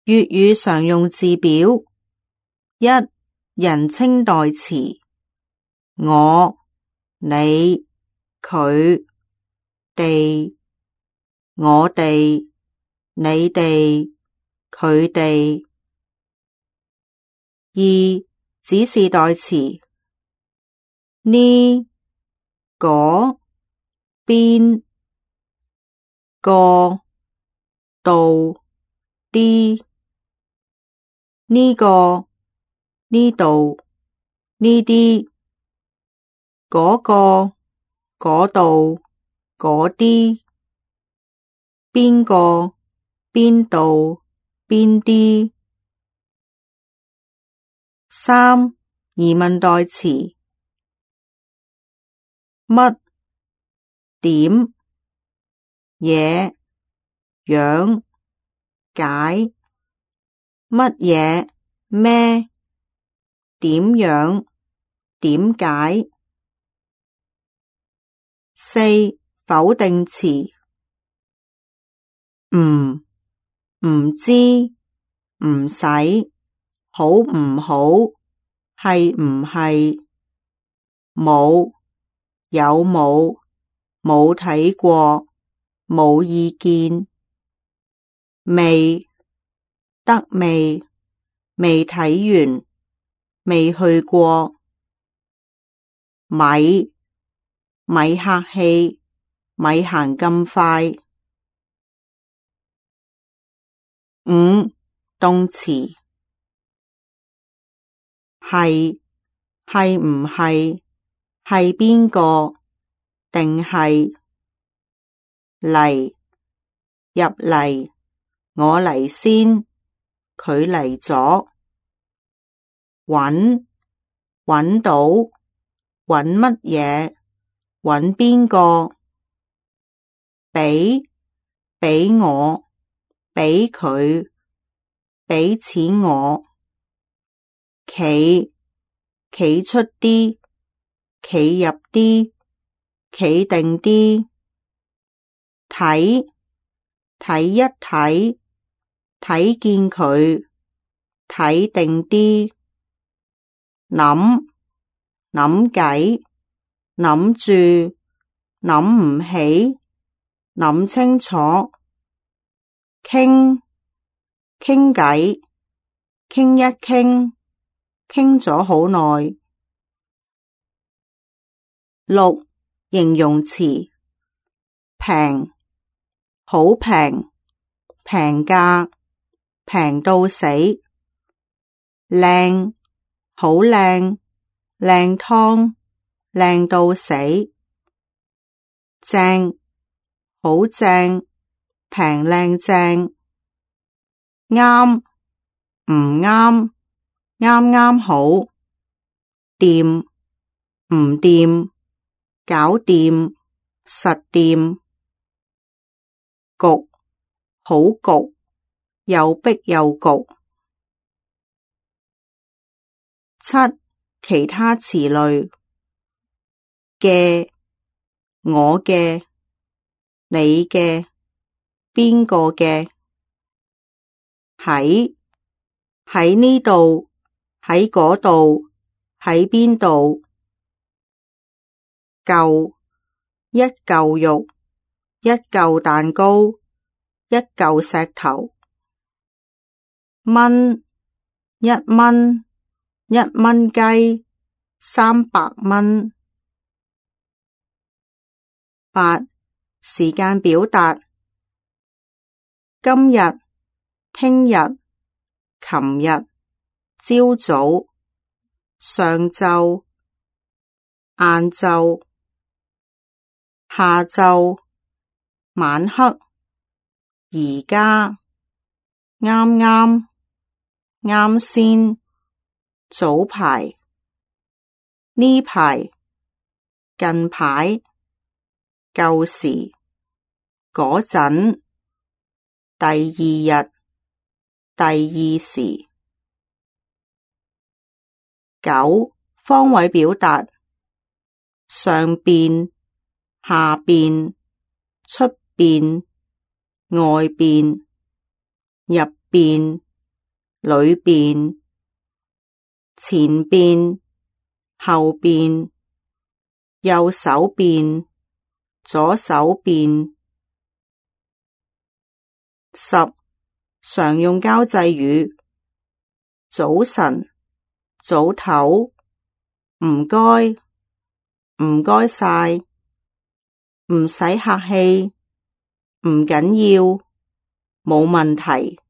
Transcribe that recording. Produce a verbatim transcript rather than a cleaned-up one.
粵語常用字表。一、人稱代詞，我、你、佢、哋、我哋、你哋、佢哋。二、指示代詞，呢、嗰、邊、個、度、啲、呢個、呢度、呢啲、嗰個、嗰度、嗰啲、邊個、邊度、邊啲。三、疑問代詞，乜、點、嘢、樣、解、乜嘢、咩、點樣、點解。四、否定詞，唔、唔知、唔使、好唔好、係唔係、冇、有冇、冇睇過、冇意見、未、得未、未睇完、未去過。咪、咪客氣、咪行咁快。五、動詞，係、係唔係、係邊個、定係、嚟、入嚟、我嚟先、佢嚟咗。搵、搵到、搵乜嘢、搵邊個。畀、畀我、畀佢、畀錢我。企、企出啲、企入啲、企定啲。睇、睇一睇、睇見佢、睇定啲。諗、諗計、諗住、諗唔起、諗清楚。傾、傾偈、傾一傾、傾咗好耐。六、形容詞，平、好平、平價、平到死。靚、好靚、靚湯、靚到死。正、好正、平靚正。啱、唔啱、啱啱好。掂、唔掂、搞掂、實掂。焗、好焗、又逼又焗。七、其他詞類，嘅、我嘅、你嘅、邊個嘅。喺、喺呢度、喺嗰度、喺邊度。嚿、一嚿肉、一嚿蛋糕、一嚿石頭。蚊、一蚊、一蚊雞、三百蚊。八、時間表達，今日、聽日、琴日、朝早、上晝、晏晝、下晝、晚黑、而家、啱啱、啱先、早排、呢排、近排、舊時、嗰陣、第二日、第二時。九、方位表達，上邊、下邊、出邊、外邊、入邊、裏邊、前邊、後邊、右手邊、左手邊。十、常用交際語：早晨、早唞、唔該、唔該晒、唔使客氣、唔緊要、冇問題。